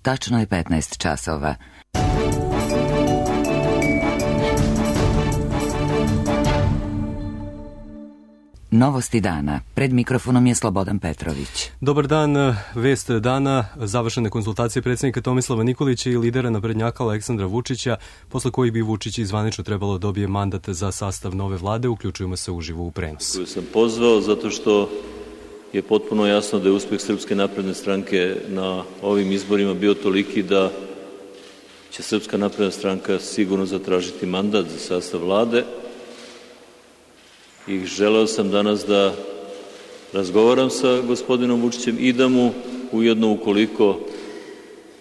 tačno je 15 časova. Novosti dana. Pred mikrofonom je Slobodan Petrović. Dobar dan. Vest dana. Završene konsultacije predsjednika Tomislava Nikolića i lidera naprednjaka Aleksandra Vučića, posle kojih bi Vučić i zvanično trebalo dobije mandat za sastav nove vlade. Uključujemo se uživo u prenos. Koju sam pozvao zato što je potpuno jasno da je uspeh Srpske napredne stranke na ovim izborima bio toliki da će Srpska napredna stranka sigurno zatražiti mandat za sastav vlade. I želeo sam danas da razgovaram sa gospodinom Vučićem i da mu ujedno, ukoliko,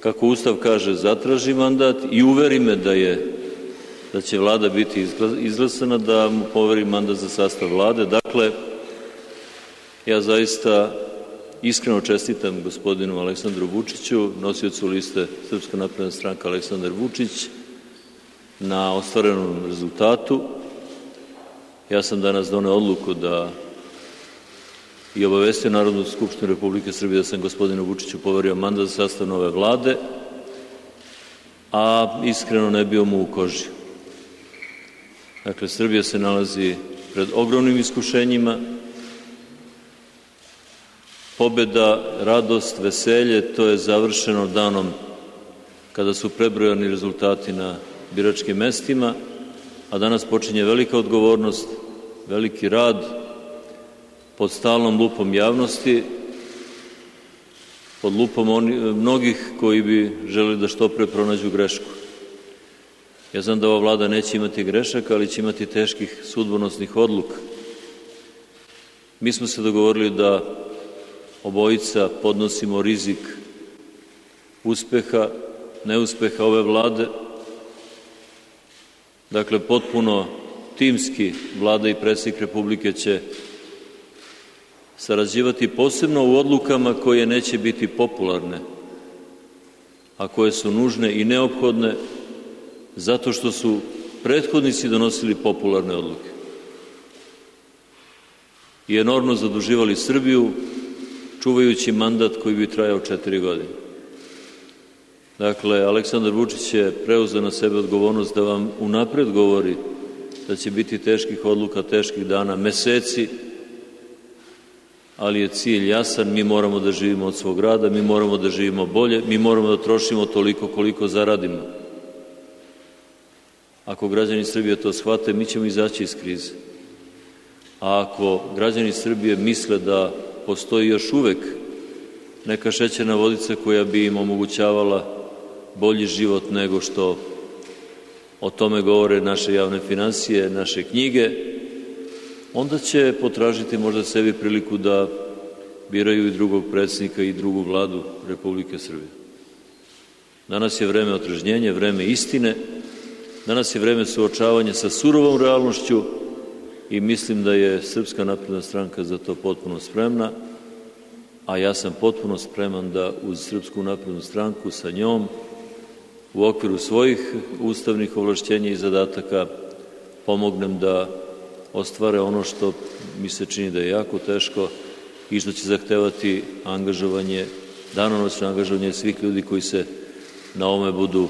kako Ustav kaže, zatraži mandat i uveri me da će vlada biti izglasana, da mu poveri mandat za sastav vlade. Dakle, ja zaista iskreno čestitam gospodinu Aleksandru Vučiću, nosiocu liste Srpska napredna stranka Aleksandar Vučić, na ostvarenom rezultatu. Ja sam danas doneo odluku da i obavestio Narodnu skupštinu Republike Srbije da sam gospodinu Vučiću poverio mandat za sastav nove vlade, a iskreno ne bio mu u koži. Dakle, Srbija se nalazi pred ogromnim iskušenjima. Pobeda, radost, veselje, to je završeno danom kada su prebrojani rezultati na biračkim mestima, a danas počinje velika odgovornost, veliki rad pod stalnom lupom javnosti, pod lupom mnogih koji bi želeli da što pre pronađu grešku. Ja znam da ova vlada neće imati grešaka, ali će imati teških sudbonosnih odluka. Mi smo se dogovorili da obojica podnosimo rizik uspeha, neuspeha ove vlade. Dakle, potpuno timski vlada i predsjednik Republike će sarađivati posebno u odlukama koje neće biti popularne, a koje su nužne i neophodne zato što su prethodnici donosili popularne odluke i enormno zaduživali Srbiju, čuvajući mandat koji bi trajao 4 godine. Dakle, Aleksandar Vučić je preuzeo na sebe odgovornost da vam unapred govori da će biti teških odluka, teških dana, meseci, ali je cilj jasan. Mi moramo da živimo od svog rada, mi moramo da živimo bolje, mi moramo da trošimo toliko koliko zaradimo. Ako građani Srbije to shvate, mi ćemo izaći iz krize. A ako građani Srbije misle da postoji još uvek neka šećerna vodica koja bi im omogućavala bolji život nego što o tome govore naše javne finansije, naše knjige, onda će potražiti možda sebi priliku da biraju i drugog predsjednika i drugu vladu Republike Srbije. Danas je vreme otrežnjenja, vreme istine, danas je vreme suočavanja sa surovom realnošću i mislim da je Srpska napredna stranka za to potpuno spremna, a ja sam potpuno spreman da uz Srpsku naprednu stranku sa njom u okviru svojih ustavnih ovlašćenja i zadataka pomognem da ostvare ono što mi se čini da je jako teško i što će zahtevati angažovanje, danonoćno angažovanje svih ljudi koji se na ovome budu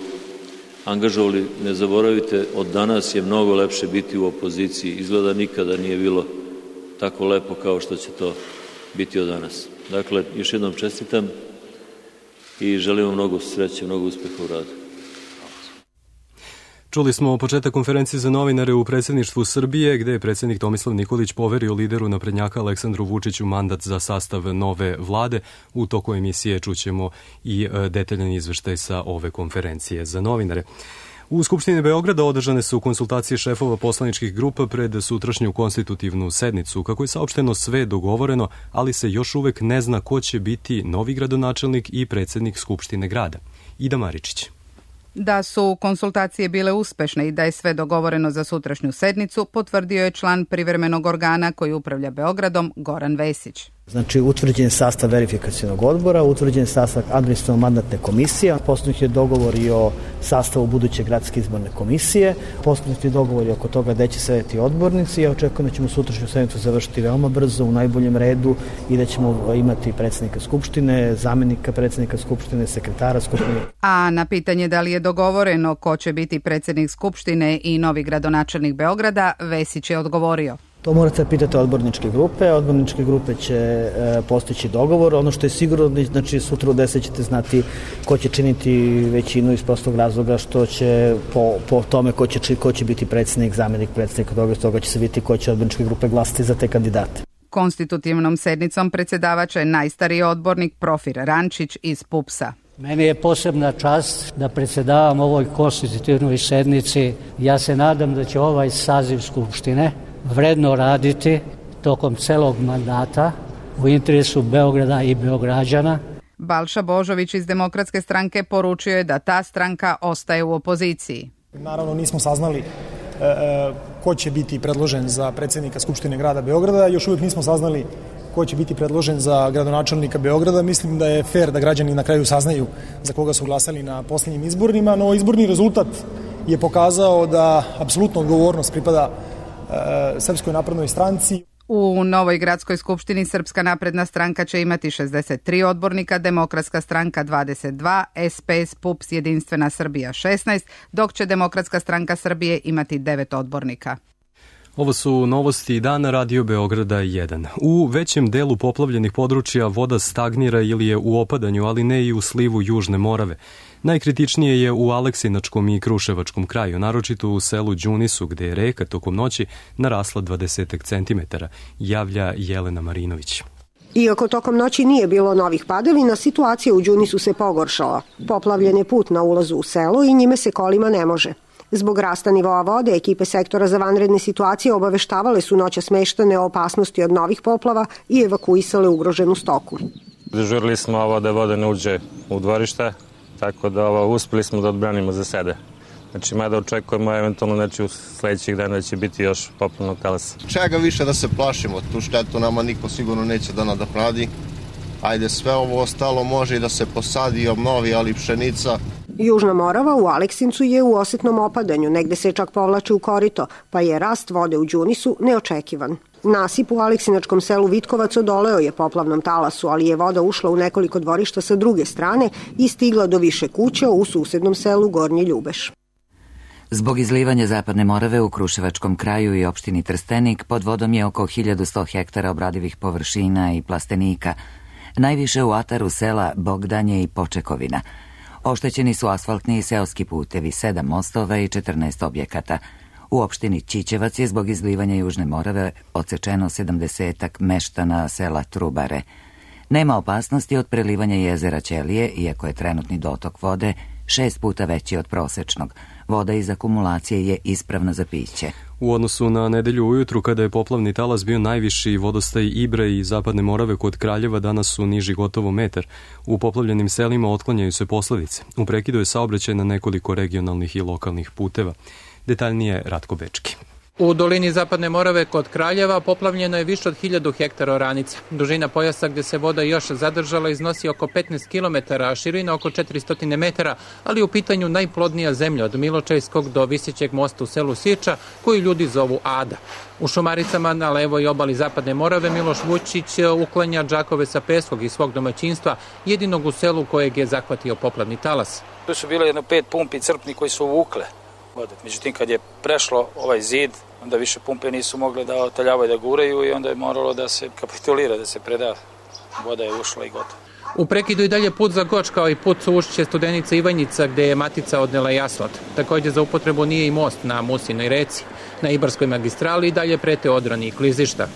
angažovali. Ne zaboravite, od danas je mnogo lepše biti u opoziciji. Izgleda nikada nije bilo tako lepo kao što će to biti od danas. Dakle, još jednom čestitam i želim vam mnogo sreće, mnogo uspeha u radu. Čuli smo početak konferencije za novinare u predsjedništvu Srbije, gde je predsjednik Tomislav Nikolić poverio lideru naprednjaka Aleksandru Vučiću mandat za sastav nove vlade. U toku emisije čućemo i detaljan izveštaj sa ove konferencije za novinare. U Skupštini Beograda održane su konsultacije šefova poslaničkih grupa pred sutrašnju konstitutivnu sednicu. Kako je saopšteno, sve dogovoreno, ali se još uvek ne zna ko će biti novi gradonačelnik i predsjednik Skupštine grada. Ida Maričić. Da su konsultacije bile uspešne i da je sve dogovoreno za sutrašnju sednicu, potvrdio je član privremenog organa koji upravlja Beogradom, Goran Vesić. Znači, utvrđen je sastav verifikacionog odbora, utvrđen je sastav administrativno-mandatne komisije, postignut je dogovor i o sastavu buduće gradske izborne komisije, postignut je dogovor i oko toga gde će sedeti odbornici. Ja očekujem da ćemo sutrašnju sednicu završiti veoma brzo, u najboljem redu i da ćemo imati predsjednika Skupštine, zamenika predsjednika Skupštine, sekretara Skupštine. A na pitanje da li je dogovoreno ko će biti predsjednik Skupštine i novi gradonačelnik Beograda, Vesić je odgovorio. To morate pitati odborničke grupe. Odborničke grupe će postići dogovor. Ono što je sigurno, znači sutra u 10 ćete znati ko će činiti većinu iz prostog razloga što će po tome ko će biti predsjednik, zamenik predsjednika, toga će se vidjeti ko će odborničke grupe glasati za te kandidate. Konstitutivnom sednicom predsjedavače najstariji odbornik Profir Rančić iz PUPS-a. Meni je posebna čast da predsjedavam ovoj konstitutivnoj sednici. Ja se nadam da će ovaj saziv Skupštine vredno raditi tokom celog mandata u interesu Beograda i Beograđana. Balša Božović iz Demokratske stranke poručio je da ta stranka ostaje u opoziciji. Naravno nismo saznali ko će biti predložen za predsjednika Skupštine grada Beograda, još uvijek nismo saznali ko će biti predložen za gradonačelnika Beograda. Mislim da je fair da građani na kraju saznaju za koga su glasali na posljednjim izborima, no izborni rezultat je pokazao da apsolutno odgovornost pripada Srpskoj naprednoj stranci. U novoj gradskoj skupštini Srpska napredna stranka će imati 63 odbornika, Demokratska stranka 22, SPS, PUPS, Jedinstvena Srbija 16, dok će Demokratska stranka Srbije imati 9 odbornika. Ovo su novosti dana Radio Beograda 1. U većem delu poplavljenih područja voda stagnira ili je u opadanju, ali ne i u slivu Južne Morave. Najkritičnije je u Aleksinačkom i Kruševačkom kraju, naročito u selu Đunisu, gde je reka tokom noći narasla 20 cm, javlja Jelena Marinović. Iako tokom noći nije bilo novih padavina, situacija u Đunisu se pogoršala. Poplavljen je put na ulazu u selo i njime se kolima ne može. Zbog rasta nivoa vode, ekipe sektora za vanredne situacije obaveštavale su noćas meštane o opasnosti od novih poplava i evakuisale ugroženu stoku. Dežurili smo da voda ne uđe u dvorište, tako da uspeli smo da odbranimo za sebe. Znači, mada očekujemo eventualno u sledećih dana da će biti još poplavnog talasa. Čega više da se plašimo, tu štetu nama niko sigurno neće da nadoknadi. Ajde, sve ovo ostalo može i da se posadi i obnovi, ali pšenica. Južna Morava u Aleksincu je u osetnom opadanju, negde se čak povlači u korito, pa je rast vode u Đunisu neočekivan. Nasip u aleksinačkom selu Vitkovac odoleo je poplavnom talasu, ali je voda ušla u nekoliko dvorišta sa druge strane i stigla do više kuća u susednom selu Gornji Ljubeš. Zbog izlivanja Zapadne Morave u Kruševačkom kraju i opštini Trstenik pod vodom je oko 1100 hektara obradivih površina i plastenika, najviše u ataru sela Bogdanje i Počekovina. Oštećeni su asfaltni i seoski putevi, 7 mostova i 14 objekata. U opštini Ćićevac je zbog izlivanja Južne Morave odsečeno 70 meštana sela Trubare. Nema opasnosti od prelivanja jezera Ćelije, iako je trenutni dotok vode 6 puta veći od prosečnog. Voda iz akumulacije je ispravna za piće. U odnosu na nedelju ujutru, kada je poplavni talas bio najviši, vodostaj Ibra i Zapadne Morave kod Kraljeva danas su niži gotovo metar. U poplavljenim selima otklanjaju se posledice. U prekidu je saobraćaj na nekoliko regionalnih i lokalnih puteva. Detaljnije Ratko Bečki. U dolini Zapadne Morave kod Kraljeva poplavljeno je više od 1000 hektara oranica. Dužina pojasa gde se voda još zadržala iznosi oko 15 km, a širina oko 400 metara, ali u pitanju najplodnija zemlja od Miločajskog do Visećeg mosta u selu Sirča, koju ljudi zovu Ada. U Šumaricama na levoj obali Zapadne Morave Miloš Vučić uklanja džakove sa peskog iz svog domaćinstva, jedinog u selu kojeg je zahvatio poplavni talas. Tu su bilo 5 pumpi crpni koji su uvukle vode. Međutim, kad je prešlo ovaj zid, onda više pumpe nisu mogle da otaljavaju, da guraju i onda je moralo da se kapitulira, da se preda. Voda je ušla i gotovo. U prekidu i dalje put za Goč, kao i put u Ušće Studenica Ivanjica, gde je matica odnela i asfalt. Također za upotrebu nije i most na Musinoj reci. Na Ibarskoj magistrali i dalje prete odrani i klizišta.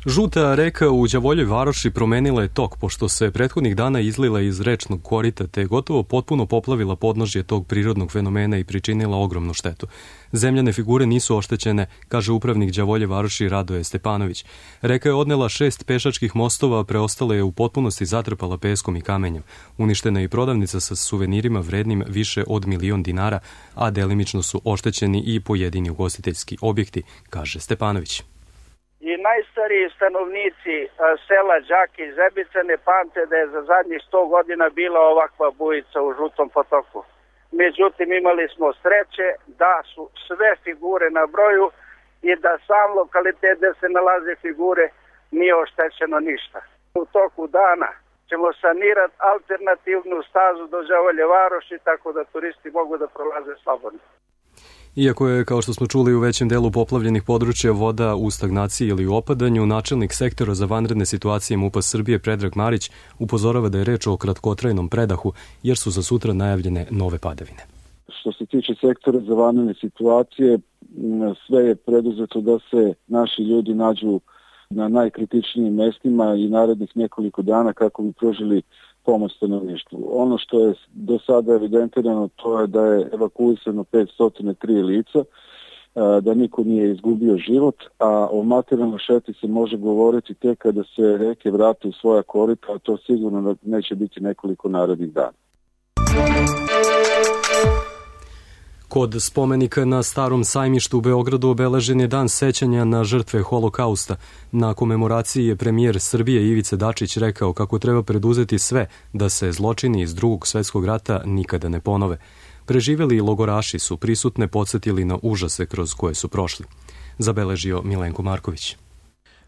Žuta reka u Đavoljoj Varoši promenila je tok, pošto se prethodnih dana izlila iz rečnog korita, te gotovo potpuno poplavila podnožje tog prirodnog fenomena i pričinila ogromnu štetu. Zemljane figure nisu oštećene, kaže upravnik Đavolje Varoši Radoje Stepanović. Reka je odnela 6 pešačkih mostova, preostale je u potpunosti zatrpala peskom i kamenjem. Uništena je i prodavnica sa suvenirima vrednim više od 1.000.000 dinara, a delimično su oštećeni i pojedini ugostiteljski objekti, kaže Stepanović. I najstariji stanovnici sela Đaki i Zebice ne pamte da je za zadnjih 100 godina bila ovakva bujica u Žutom potoku. Međutim, imali smo sreće da su sve figure na broju i da sam lokalitet gde se nalaze figure nije oštećeno ništa. U toku dana ćemo sanirati alternativnu stazu do Đavolje varoši, tako da turisti mogu da prolaze slobodno. Iako je, kao što smo čuli, u većem delu poplavljenih područja voda u stagnaciji ili u opadanju, načelnik sektora za vanredne situacije MUP-a Srbije Predrag Marić upozorava da je reč o kratkotrajnom predahu, jer su za sutra najavljene nove padavine. Što se tiče sektora za vanredne situacije, sve je preduzeto da se naši ljudi nađu na najkritičnijim mestima i narednih nekoliko dana kako bi pružili pomoć stanovništvu. Ono što je do sada evidentirano, to je da je evakuisano 503 lica, da niko nije izgubio život, a o materijalnoj šteti se može govoriti tek kada se reke vrate u svoja korita, a to sigurno neće biti nekoliko narednih dana. Kod spomenika na Starom sajmištu u Beogradu obeležen je dan sećanja na žrtve holokausta. Na komemoraciji je premijer Srbije Ivica Dačić rekao kako treba preduzeti sve da se zločini iz Drugog svetskog rata nikada ne ponove. Preživeli logoraši su prisutne podsjetili na užase kroz koje su prošli. Zabeležio Milenko Marković.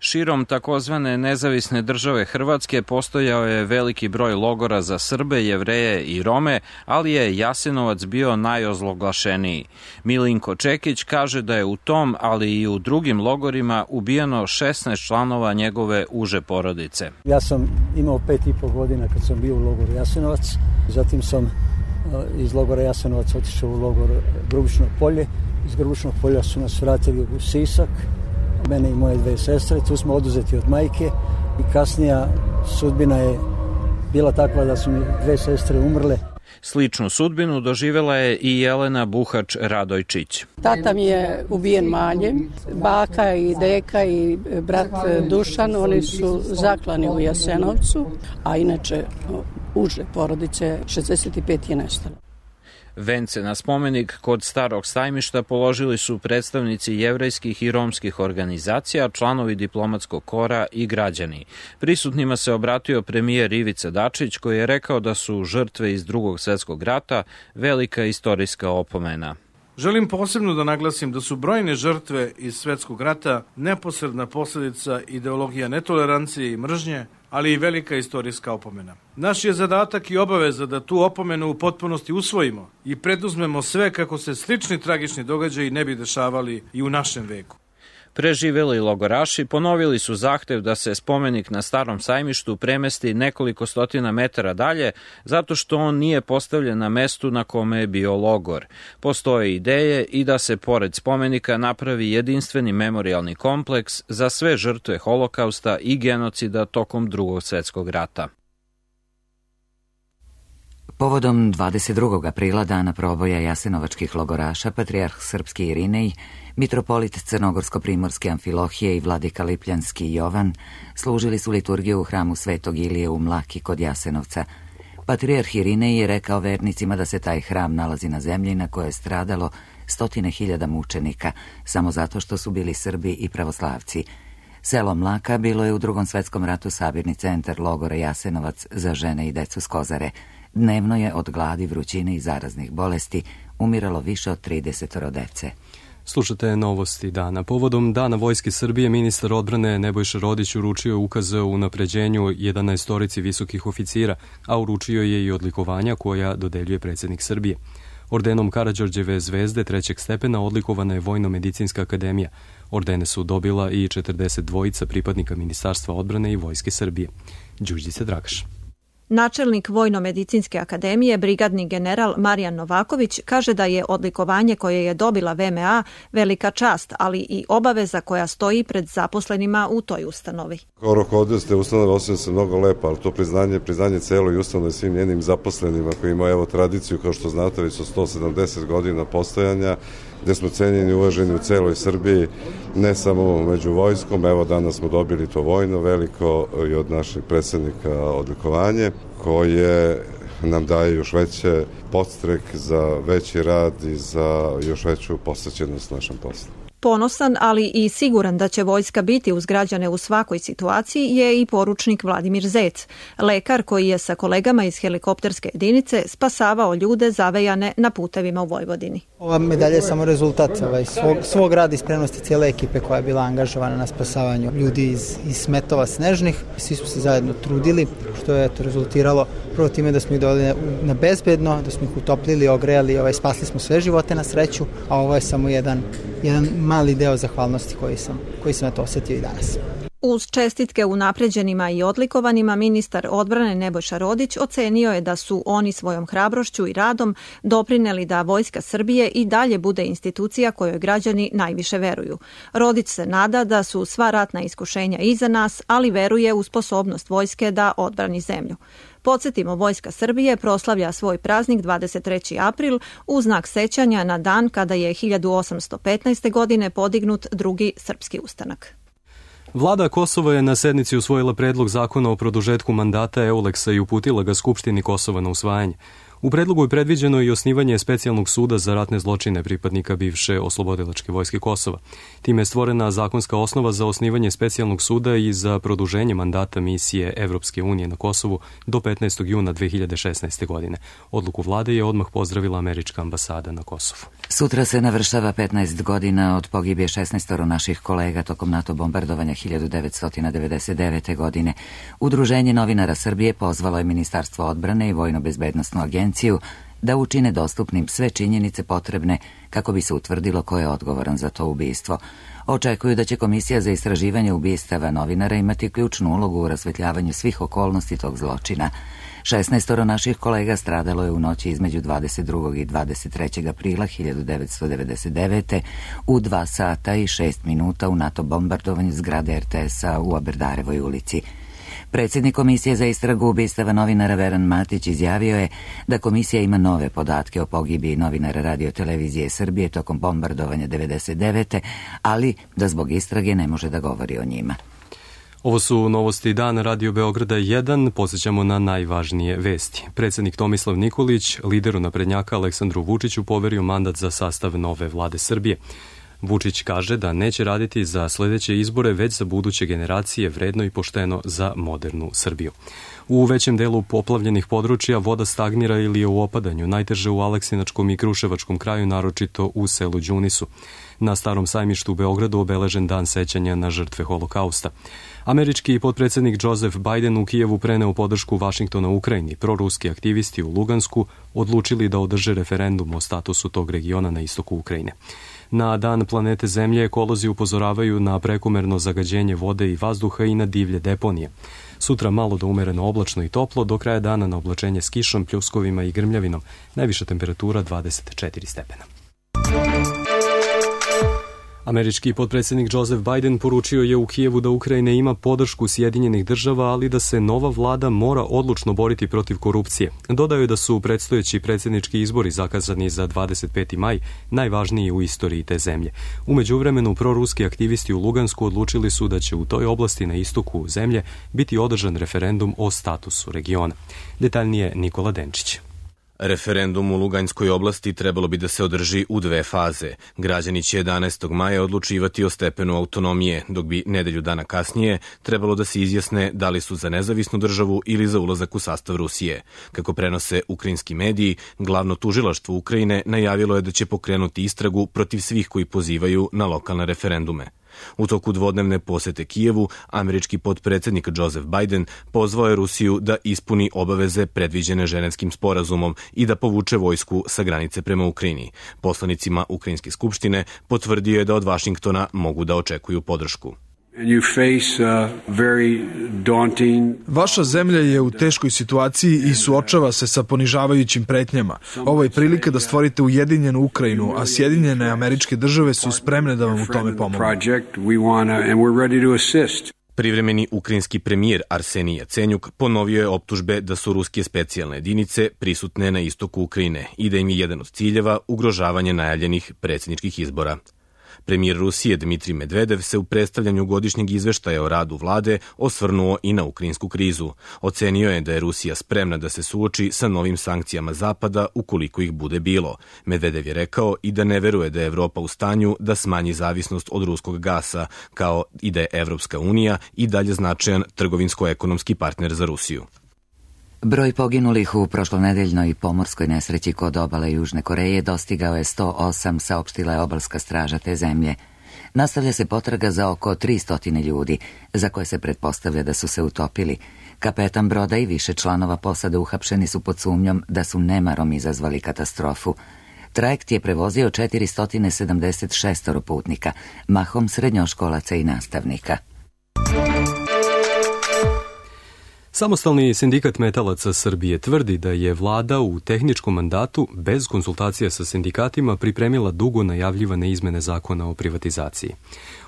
Širom takozvane nezavisne države Hrvatske postojao je veliki broj logora za Srbe, Jevreje i Rome, ali je Jasenovac bio najozloglašeniji. Milinko Čekić kaže da je u tom, ali i u drugim logorima ubijeno 16 članova njegove uže porodice. Ja sam imao 5,5 godina kad sam bio u logoru Jasenovac, zatim sam iz logora Jasenovac otišao u logor Grubišno polje. Iz Grubišnog polja su nas vratili u Sisak, mene i moje 2 sestre, tu smo oduzeti od majke i kasnija sudbina je bila takva da su mi 2 sestre umrle. Sličnu sudbinu doživjela je i Jelena Buhač Radojčić. Tata mi je ubijen maljem, baka i deka i brat Dušan, oni su zaklani u Jasenovcu, a inače uže porodice 65 je nestalo. Vence na spomenik kod Starog sajmišta položili su predstavnici jevrejskih i romskih organizacija, članovi diplomatskog kora i građani. Prisutnima se obratio premijer Ivica Dačić koji je rekao da su žrtve iz Drugog svjetskog rata velika istorijska opomena. Želim posebno da naglasim da su brojne žrtve iz Svjetskog rata neposredna posljedica ideologija netolerancije i mržnje, ali i velika istorijska opomena. Naš je zadatak i obaveza da tu opomenu u potpunosti usvojimo i preduzmemo sve kako se slični tragični događaji ne bi dešavali i u našem veku. Preživjeli logoraši ponovili su zahtev da se spomenik na Starom sajmištu premesti nekoliko stotina metara dalje, zato što on nije postavljen na mestu na kome je bio logor. Postoje ideje i da se pored spomenika napravi jedinstveni memorijalni kompleks za sve žrtve holokausta i genocida tokom Drugog svjetskog rata. Povodom 22. aprila, dana proboja jasenovačkih logoraša, patrijarh srpski Irinej, mitropolit crnogorsko-primorske Amfilohije i vladika Lipljanski Jovan služili su liturgiju u hramu Svetog Ilije u Mlaki kod Jasenovca. Patrijarh Irinej je rekao vernicima da se taj hram nalazi na zemlji na kojoj je stradalo 100.000 mučenika, samo zato što su bili Srbi i pravoslavci. Selo Mlaka bilo je u Drugom svjetskom ratu sabirni centar logora Jasenovac za žene i decu s Kozare. Dnevno je od gladi, vrućine i zaraznih bolesti umiralo više od 30 dece. Slušate novosti dana. Povodom Dana Vojske Srbije, ministar odbrane Nebojša Rodić uručio ukaze o unapređenju 11 visokih oficira, a uručio je i odlikovanja koja dodeljuje predsjednik Srbije. Ordenom Karađorđeve zvezde 3. stepena odlikovana je Vojno-medicinska akademija. Ordene su dobila i 42 pripadnika Ministarstva odbrane i Vojske Srbije. Đurđica Dragaš. Načelnik Vojno-medicinske akademije, brigadni general Marijan Novaković, kaže da je odlikovanje koje je dobila VMA velika čast, ali i obaveza koja stoji pred zaposlenima u toj ustanovi. Kao rukovodioc te ustanove osjećam se mnogo lepo, ali to priznanje celoj ustanovi svim njenim zaposlenima koji imaju tradiciju, kao što znate, već su 170 godina postojanja, gde smo cenjeni i uvaženi u celoj Srbiji, ne samo među vojskom. Evo danas smo dobili to vojno veliko i od našeg predsjednika odlikovanje, koje nam daje još veće podstrek za veći rad i za još veću posvećenost našem poslu. Ponosan, ali i siguran da će vojska biti uz građane u svakoj situaciji je i poručnik Vladimir Zec, lekar koji je sa kolegama iz helikopterske jedinice spasavao ljude zavejane na putevima u Vojvodini. Ova medalja je samo rezultat svog rada i spremnosti cijele ekipe koja je bila angažovana na spasavanju ljudi iz smetova snežnih. Svi smo se zajedno trudili, što je to rezultiralo prvo time da smo ih doveli na bezbedno, da smo ih utoplili, ogrejali, spasli smo sve živote na sreću, a ovo je samo jedan mali deo zahvalnosti koji sam osjetio i danas. Uz čestitke unapređenima i odlikovanima, ministar odbrane Nebojša Rodić ocenio je da su oni svojom hrabrošću i radom doprineli da Vojska Srbije i dalje bude institucija kojoj građani najviše veruju. Rodić se nada da su sva ratna iskušenja iza nas, ali veruje u sposobnost vojske da odbrani zemlju. Podsjetimo, Vojska Srbije proslavlja svoj praznik 23. april u znak sećanja na dan kada je 1815. godine podignut drugi srpski ustanak. Vlada Kosova je na sednici usvojila predlog zakona o produžetku mandata Euleksa i uputila ga Skupštini Kosova na usvajanje. U predlogu je predviđeno i osnivanje specijalnog suda za ratne zločine pripadnika bivše oslobodilačke vojske Kosova. Time je stvorena zakonska osnova za osnivanje specijalnog suda i za produženje mandata misije Evropske unije na Kosovu do 15. juna 2016. godine. Odluku vlade je odmah pozdravila američka ambasada na Kosovu. Sutra se navršava 15 godina od pogibije 16 naših kolega tokom NATO bombardovanja 1999. godine. Udruženje novinara Srbije pozvalo je Ministarstvo odbrane i Vojno-bezbednosnu agenciju da učine dostupnim sve činjenice potrebne kako bi se utvrdilo ko je odgovoran za to ubistvo. Očekuju da će Komisija za istraživanje ubistava novinara imati ključnu ulogu u rasvetljavanju svih okolnosti tog zločina. 16 naših kolega stradalo je u noći između 22. i 23. aprila 1999. u 2 sata i 6 minuta u NATO bombardovanju zgrade RTS-a u Aberdarevoj ulici. Predsjednik Komisije za istragu ubistava novinara Veran Matić izjavio je da komisija ima nove podatke o pogibiji novinara Radio Televizije Srbije tokom bombardovanja 99. ali da zbog istrage ne može da govori o njima. Ovo su novosti dana Radio Beograda 1. Podsjećamo na najvažnije vesti. Predsjednik Tomislav Nikolić, lideru naprednjaka Aleksandru Vučiću, poverio mandat za sastav nove vlade Srbije. Vučić kaže da neće raditi za sljedeće izbore, već za buduće generacije, vredno i pošteno za modernu Srbiju. U većem delu poplavljenih područja voda stagnira ili je u opadanju, najteže u Aleksinačkom i Kruševačkom kraju, naročito u selu Đunisu. Na Starom sajmištu u Beogradu obeležen dan sećanja na žrtve Holokausta. Američki potpredsjednik Joseph Biden u Kijevu preneo podršku Vašingtona Ukrajini. Proruski aktivisti u Lugansku odlučili da održe referendum o statusu tog regiona na istoku Ukrajine. Na dan planete Zemlje ekolozi upozoravaju na prekomerno zagađenje vode i vazduha i na divlje deponije. Sutra malo do umereno oblačno i toplo, do kraja dana na oblačenje s kišom, pljuskovima i grmljavinom. Najviša temperatura 24 stepena. Američki potpredsjednik Joseph Biden poručio je u Kijevu da Ukrajina ima podršku Sjedinjenih država, ali da se nova vlada mora odlučno boriti protiv korupcije. Dodao je da su predstojeći predsjednički izbori zakazani za 25. maj najvažniji u istoriji te zemlje. U međuvremenu proruski aktivisti u Lugansku odlučili su da će u toj oblasti na istoku zemlje biti održan referendum o statusu regiona. Detaljnije Nikola Denčić. Referendum u Luganskoj oblasti trebalo bi da se održi u 2 faze. Građani će 11. maja odlučivati o stepenu autonomije, dok bi nedelju dana kasnije trebalo da se izjasne da li su za nezavisnu državu ili za ulazak u sastav Rusije. Kako prenose ukrajinski mediji, glavno tužilaštvo Ukrajine najavilo je da će pokrenuti istragu protiv svih koji pozivaju na lokalne referendume. U toku dvodnevne posete Kijevu, američki potpredsjednik Joseph Biden pozvao je Rusiju da ispuni obaveze predviđene Ženevskim sporazumom i da povuče vojsku sa granice prema Ukrajini. Poslanicima Ukrajinske skupštine potvrdio je da od Vašingtona mogu da očekuju podršku. Vaša zemlja je u teškoj situaciji i suočava se sa ponižavajućim pretnjama. Ovo je prilika da stvorite ujedinjenu Ukrajinu, a Sjedinjene Američke Države su spremne da vam u tome pomognu. Privremeni ukrajinski premijer Arsenij Jacenjuk ponovio je optužbe da su ruske specijalne jedinice prisutne na istoku Ukrajine i da im je jedan od ciljeva ugrožavanje najavljenih predsjedničkih izbora. Premijer Rusije Dmitrij Medvedev se u predstavljanju godišnjeg izveštaja o radu vlade osvrnuo i na ukrajinsku krizu. Ocenio je da je Rusija spremna da se suoči sa novim sankcijama Zapada ukoliko ih bude bilo. Medvedev je rekao i da ne veruje da je Evropa u stanju da smanji zavisnost od ruskog gasa, kao i da je Evropska unija i dalje značajan trgovinsko-ekonomski partner za Rusiju. Broj poginulih u prošlonedeljnoj pomorskoj nesreći kod obale Južne Koreje dostigao je 108, saopštila je obalska straža te zemlje. Nastavlja se potraga za oko 300 ljudi, za koje se pretpostavlja da su se utopili. Kapetan broda i više članova posade uhapšeni su pod sumnjom da su nemarom izazvali katastrofu. Trajekt je prevozio 476 putnika, mahom srednjoškolaca i nastavnika. Samostalni sindikat metalaca Srbije tvrdi da je vlada u tehničkom mandatu bez konsultacija sa sindikatima pripremila dugo najavljivane izmene zakona o privatizaciji.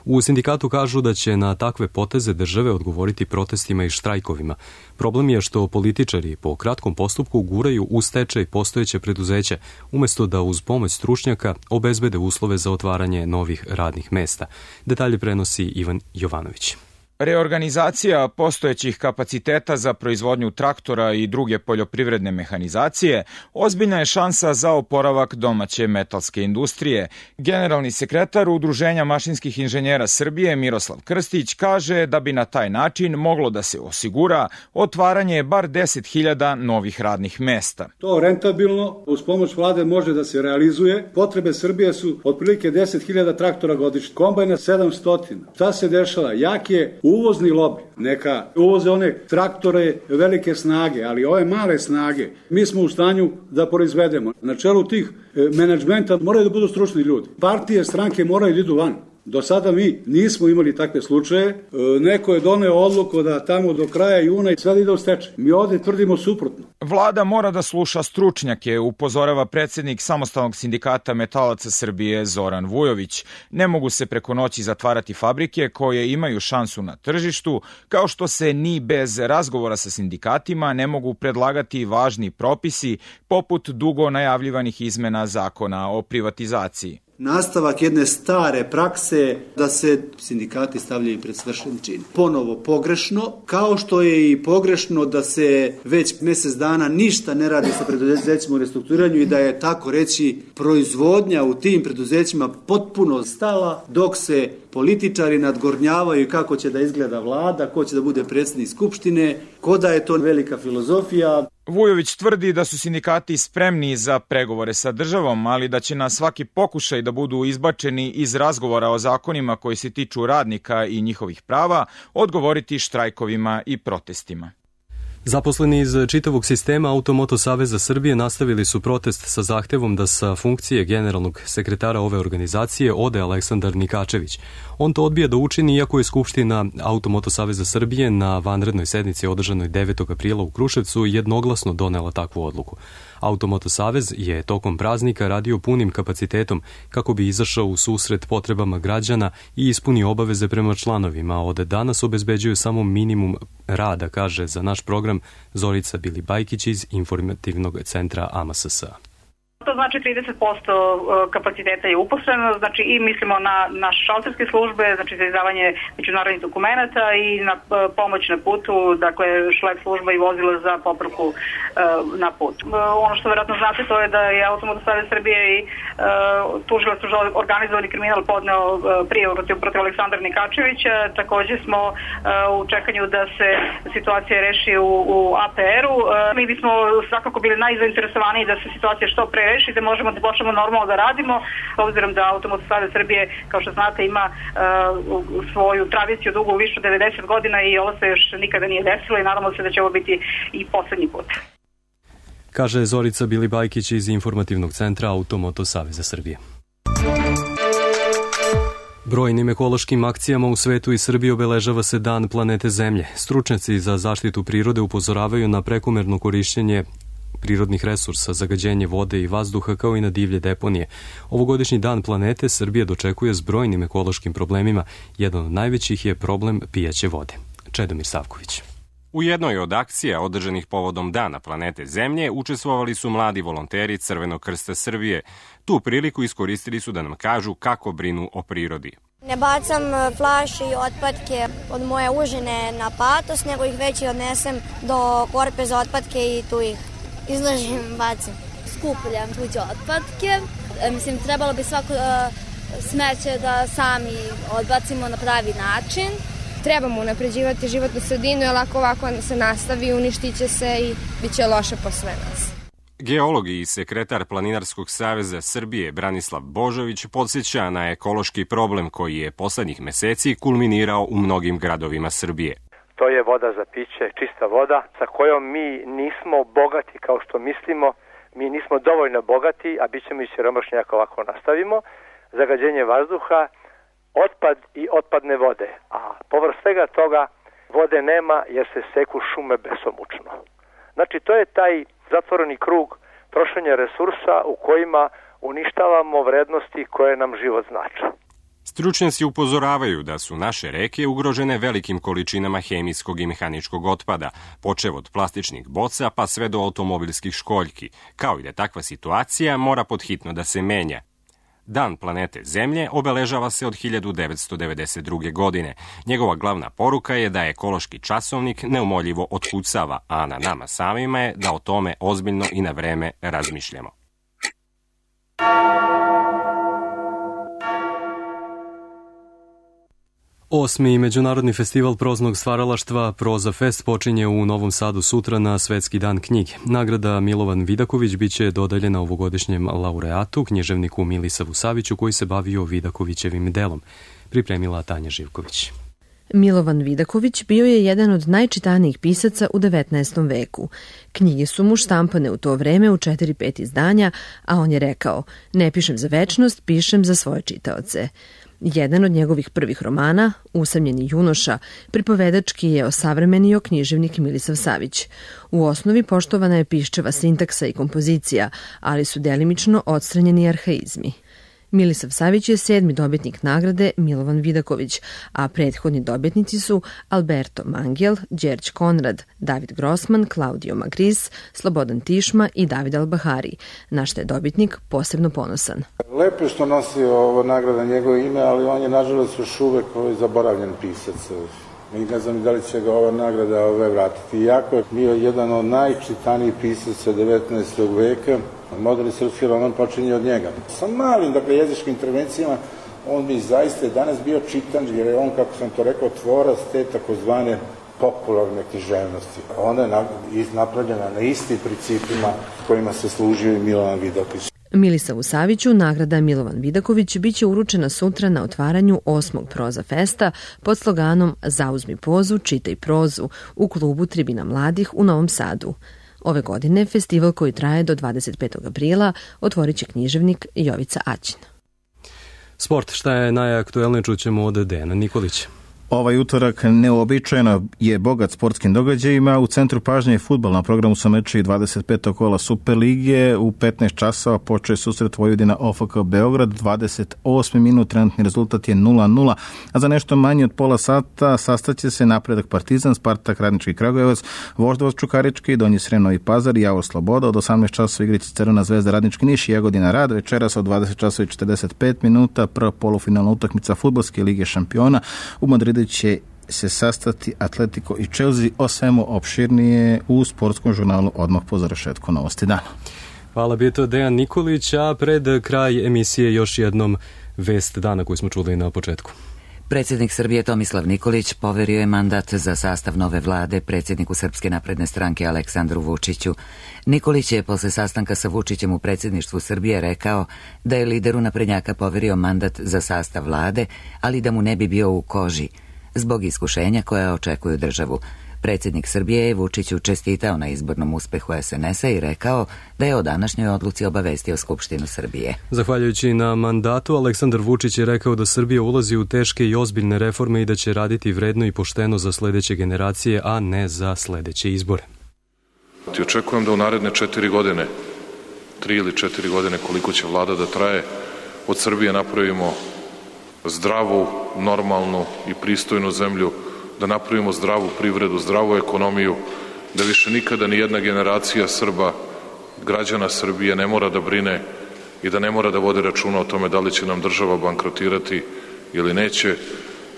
U sindikatu kažu da će na takve poteze države odgovoriti protestima i štrajkovima. Problem je što političari po kratkom postupku guraju u stečaj postojeće preduzeće, umjesto da uz pomoć stručnjaka obezbede uslove za otvaranje novih radnih mesta. Detalje prenosi Ivan Jovanović. Reorganizacija postojećih kapaciteta za proizvodnju traktora i druge poljoprivredne mehanizacije ozbiljna je šansa za oporavak domaće metalske industrije. Generalni sekretar Udruženja mašinskih inženjera Srbije Miroslav Krstić kaže da bi na taj način moglo da se osigura otvaranje bar 10.000 novih radnih mesta. To rentabilno uz pomoć vlade može da se realizuje. Potrebe Srbije su otprilike 10.000 traktora godišnje, kombajna 700. Šta se dešava? Jak je uvozni lobi, neka uvoze one traktore velike snage, ali ove male snage mi smo u stanju da proizvedemo. Na čelu tih menadžmenta moraju da budu stručni ljudi. Partije, stranke moraju da idu van. Do sada mi nismo imali takve slučaje. Neko je doneo odluku da tamo do kraja juna i sve ide u stečaj. Mi ovde tvrdimo suprotno. Vlada mora da sluša stručnjake, upozorava predsjednik Samostalnog sindikata metalaca Srbije Zoran Vujović. Ne mogu se preko noći zatvarati fabrike koje imaju šansu na tržištu, kao što se ni bez razgovora sa sindikatima ne mogu predlagati važni propisi poput dugo najavljivanih izmena zakona o privatizaciji. Nastavak jedne stare prakse da se sindikati stavljaju pred svršen čin. Ponovo pogrešno, kao što je i pogrešno da se već mjesec dana ništa ne radi sa preduzećima u restrukturiranju i da je tako reći proizvodnja u tim preduzećima potpuno stala dok se političari nadgornjavaju kako će da izgleda vlada, ko će da bude predsjednik skupštine, ko da je to velika filozofija. Vujović tvrdi da su sindikati spremni za pregovore sa državom, ali da će na svaki pokušaj da budu izbačeni iz razgovora o zakonima koji se tiču radnika i njihovih prava odgovoriti štrajkovima i protestima. Zaposleni iz čitavog sistema Automoto Saveza Srbije nastavili su protest sa zahtevom da sa funkcije generalnog sekretara ove organizacije ode Aleksandar Nikačević. On to odbija da učini, iako je Skupština Automoto Saveza Srbije na vanrednoj sednici održanoj 9. aprila u Kruševcu jednoglasno donela takvu odluku. Automoto Savez je tokom praznika radio punim kapacitetom kako bi izašao u susret potrebama građana i ispunio obaveze prema članovima. Od danas obezbeđuju samo minimum rada, kaže za naš program Zorica Bilibajkić iz informativnog centra AMSS. To znači 30% kapaciteta je uposleno, znači i mislimo na naše šalterske službe, znači za izdavanje međunarodnih dokumenata i na pomoć na putu, dakle šlep služba i vozila za popravku na put. Ono što vjerojatno znate to je da je Automoto Savez Srbije i tužilaštvo za organizovani kriminal podneo prijavu protiv Aleksandra Nikačevića. Također smo u čekanju da se situacija reši u APR-u. Mi bismo svakako bili najzainteresovaniji da se situacija što pre reši, da možemo da počnemo normalno da radimo, obzirom da Automoto Savez Srbije, kao što znate, ima svoju tradiciju dugu više od 90 godina i ovo se još nikada nije desilo i nadamo se da će ovo biti i poslednji put. Kaže Zorica Bilibajkić iz informativnog centra Automoto Saveza Srbije. Brojnim ekološkim akcijama u svetu i Srbiji obeležava se Dan planete Zemlje. Stručnjaci za zaštitu prirode upozoravaju na prekomerno korišćenje prirodnih resursa, zagađenje vode i vazduha, kao i na divlje deponije. Ovogodišnji Dan planete Srbije dočekuje s brojnim ekološkim problemima. Jedan od najvećih je problem pijaće vode. Čedomir Savković. U jednoj od akcija održanih povodom Dana planete Zemlje učestvovali su mladi volonteri Crvenog krsta Srbije. Tu priliku iskoristili su da nam kažu kako brinu o prirodi. Ne bacam flaše i otpadke od moje užine na patos, nego ih već i odnesem do korpe za otpadke i tu ih izložim, bacim. Skupljam tuđe otpadke. Mislim, trebalo bi svako smeće da sami odbacimo na pravi način. Trebamo unapređivati životnu sredinu, jer ovako se nastavi, uništit će se i bit će loše po sve nas. Geolog i sekretar Planinarskog saveza Srbije Branislav Božović podsjeća na ekološki problem koji je poslednjih meseci kulminirao u mnogim gradovima Srbije. To je voda za piće, čista voda sa kojom mi nismo bogati kao što mislimo, mi nismo dovoljno bogati, a bit ćemo i siromašni ako ovako nastavimo. Zagađenje vazduha, otpad i otpadne vode, a povrh svega toga vode nema jer se seku šume besomučno. Znači to je taj zatvoreni krug trošenja resursa u kojima uništavamo vrednosti koje nam život znače. Stručnjaci upozoravaju da su naše reke ugrožene velikim količinama hemijskog i mehaničkog otpada, počev od plastičnih boca pa sve do automobilskih školjki, kao i da takva situacija mora podhitno da se menja. Dan planete Zemlje obeležava se od 1992. godine. Njegova glavna poruka je da ekološki časovnik neumoljivo otkucava, a na nama samima je da o tome ozbiljno i na vreme razmišljamo. Osmi Međunarodni festival proznog stvaralaštva Proza Fest počinje u Novom Sadu sutra na Svetski dan knjige. Nagrada Milovan Vidaković biće dodeljena ovogodišnjem laureatu, književniku Milisavu Saviću, koji se bavio Vidakovićevim delom. Pripremila Tanja Živković. Milovan Vidaković bio je jedan od najčitanijih pisaca u 19. veku. Knjige su mu štampane u to vreme u 4-5 izdanja, a on je rekao: "Ne pišem za večnost, pišem za svoje čitaoce." Jedan od njegovih prvih romana, Usamljeni junoša, pripovedački je osavremenio književnik Milisav Savić. U osnovi poštovana je piščeva sintaksa i kompozicija, ali su delimično odstranjeni arhaizmi. Milisav Savić je 7. dobitnik nagrade Milovan Vidaković, a prethodni dobitnici su Alberto Mangel, Đerđ Konrad, David Grossman, Claudio Magris, Slobodan Tišma i David Albahari, na što je dobitnik posebno ponosan. Lepo je što nosi ovo nagrada njegovo ime, ali on je nažalost još uvek zaboravljen pisac. I ne znam da li će ga ova nagrada vratiti. Iako je bio jedan od najčitanijih pisaca 19. veka, moderni srpski roman počinje od njega. Sa malim, jezičkim intervencijama, on bi zaista danas bio čitan, jer je on, kako sam to rekao, tvorac te takozvane popularne književnosti. Ona je napravljena na istim principima kojima se služio i Milovan Vidaković. Milisavu Saviću nagrada Milovan Vidaković biće uručena sutra na otvaranju 8. Proza Festa pod sloganom "Zauzmi pozu, čitaj prozu" u klubu Tribina mladih u Novom Sadu. Ove godine festival koji traje do 25. aprila otvorit će književnik Jovica Aćin. Sport, šta je najaktuelnije, čućemo od Dejana Nikolića. Ovaj utorak neobičajeno je bogat sportskim događajima. U centru pažnje je fudbal. Na programu su meči 25. kola Superlige. U 15 časova počeo susret Vojvodina OFK Beograd. 28. minut, trenutni rezultat je 0-0. A za nešto manje od pola sata sastaće se Napredak Partizan, Spartak Radnički Kragujevac, Voždovac Čukarički, Donji Srem Novi Pazar i Javor Sloboda. Od 18 časova igriće Crvena zvezda Radnički Niš i Jagodina Rad. Večeras od 20 časova i 45 minuta prva polufinalna utakmica Fudbalske lige šampiona. U Madridu će se sastati Atletico i Chelsea. O svemu opširnije u sportskom žurnalu odmah po završetku Novosti dana. Hvala, bio to Dejan Nikolić, a pred kraj emisije još jednom vest dana koju smo čuli na početku. Predsjednik Srbije Tomislav Nikolić poverio je mandat za sastav nove vlade predsjedniku Srpske napredne stranke Aleksandru Vučiću. Nikolić je posle sastanka sa Vučićem u predsjedništvu Srbije rekao da je lideru naprednjaka poverio mandat za sastav vlade, ali da mu ne bi bio u koži, zbog iskušenja koja očekuju državu. Predsjednik Srbije je Vučiću čestitao na izbornom uspehu SNS-a i rekao da je o današnjoj odluci obavestio Skupštinu Srbije. Zahvaljujući na mandatu, Aleksandar Vučić je rekao da Srbija ulazi u teške i ozbiljne reforme i da će raditi vredno i pošteno za sledeće generacije, a ne za sledeće izbore. Očekujem da u naredne 4 godine, 3 ili 4 godine koliko će vlada da traje, od Srbije napravimo zdravu, normalnu i pristojnu zemlju da napravimo zdravu privredu, zdravu ekonomiju, da više nikada ni jedna generacija Srba, građana Srbije ne mora da brine i da ne mora da vode računa o tome da li će nam država bankrotirati ili neće,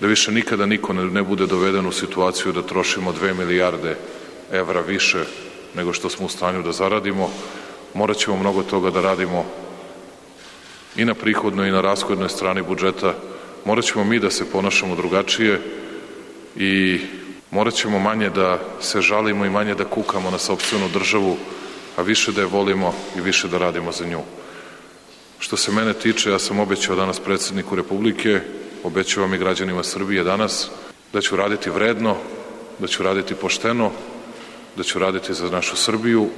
da više nikada niko ne bude doveden u situaciju da trošimo 2 milijarde evra više nego što smo u stanju da zaradimo. Morat ćemo mnogo toga da radimo i na prihodnoj i na rashodnoj strani budžeta. Morat ćemo mi da se ponašamo drugačije i morat ćemo manje da se žalimo i manje da kukamo na sopstvenu državu, a više da je volimo i više da radimo za nju. Što se mene tiče, ja sam obećao danas predsjedniku Republike, obećavam i građanima Srbije danas, da ću raditi vredno, da ću raditi pošteno, da ću raditi za našu Srbiju,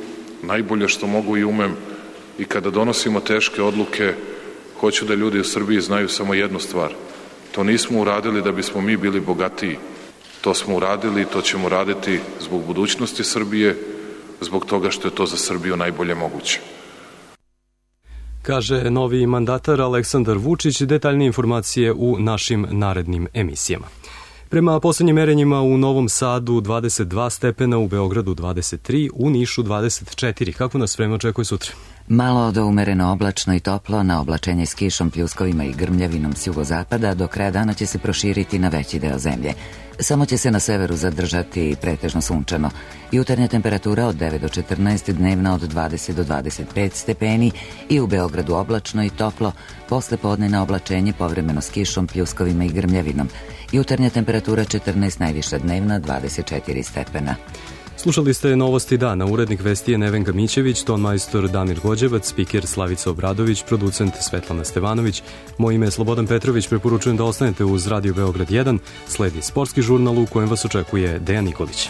najbolje što mogu i umem, i kada donosimo teške odluke, hoću da ljudi u Srbiji znaju samo jednu stvar. To nismo uradili da bismo mi bili bogatiji. To smo uradili i to ćemo raditi zbog budućnosti Srbije, zbog toga što je to za Srbiju najbolje moguće. Kaže novi mandatar Aleksandar Vučić, detaljnije informacije u našim narednim emisijama. Prema poslednjim merenjima u Novom Sadu 22 stepena, u Beogradu 23, u Nišu 24. Kako nas vreme očekuje sutra? Malo do umereno oblačno i toplo, na oblačenje s kišom, pljuskovima i grmljavinom s jugozapada, do kraja dana će se proširiti na veći deo zemlje. Samo će se na severu zadržati pretežno sunčano. Jutarnja temperatura od 9 do 14, dnevna od 20 do 25 stepeni i u Beogradu oblačno i toplo, posle podne na oblačenje povremeno s kišom, pljuskovima i grmljavinom. Jutarnja temperatura 14, najviša dnevna 24 stepena. Slušali ste Novosti dana, urednik vesti je Nevenka Mićević, tonmajstor Damir Gođevac, spiker Slavica Obradović, producent Svetlana Stevanović. Moje ime je Slobodan Petrović, preporučujem da ostanete uz Radio Beograd 1, sledi sportski žurnal u kojem vas očekuje Dejan Nikolić.